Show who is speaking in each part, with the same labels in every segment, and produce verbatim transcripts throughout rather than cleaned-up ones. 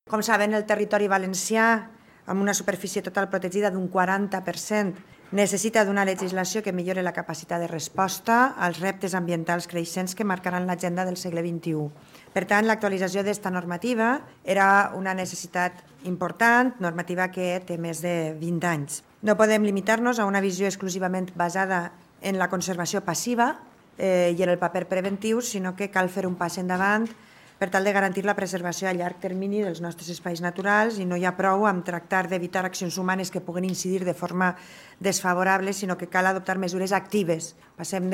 Speaker 1: Com saben, el territori valencià, amb una superfície total protegida d'un quaranta per cent, necessita d'una legislació que millori la capacitat de resposta als reptes ambientals creixents que marcaran l'agenda del segle vint-i-u. Per tant, l'actualització d'esta normativa era una necessitat important, normativa que té més de vint anys. No podem limitar-nos a una visió exclusivament basada en la conservació passiva eh, i en el paper preventiu, sinó que cal fer un pas endavant per tal de garantir la preservació a llarg termini dels nostres espais naturals, i no hi ha prou amb tractar d'evitar accions humanes que puguen incidir de forma desfavorable, sinó que cal adoptar mesures actives. Passem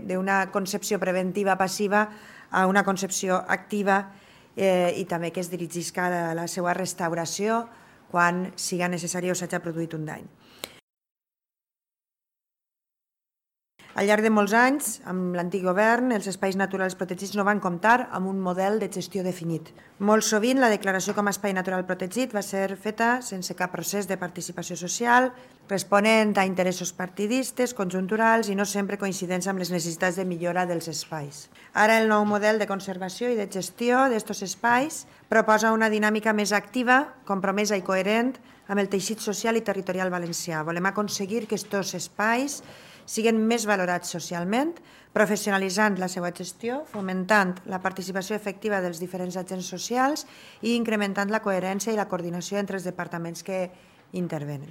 Speaker 1: d'una concepció preventiva passiva a una concepció activa eh, i també que es dirigisca a la seva restauració quan siga necessari o s'hagi produït un dany. Al llarg de molts anys, amb l'antic govern, els espais naturals protegits no van comptar amb un model de gestió definit. Molt sovint, la declaració com a espai natural protegit va ser feta sense cap procés de participació social, responent a interessos partidistes, conjunturals i no sempre coincidents amb les necessitats de millora dels espais. Ara, el nou model de conservació i de gestió d'aquests espais proposa una dinàmica més activa, compromesa i coherent amb el teixit social i territorial valencià. Volem aconseguir que aquests espais siguin més valorats socialment, professionalitzant la seva gestió, fomentant la participació efectiva dels diferents agents socials i incrementant la coherència i la coordinació entre els departaments que intervenen.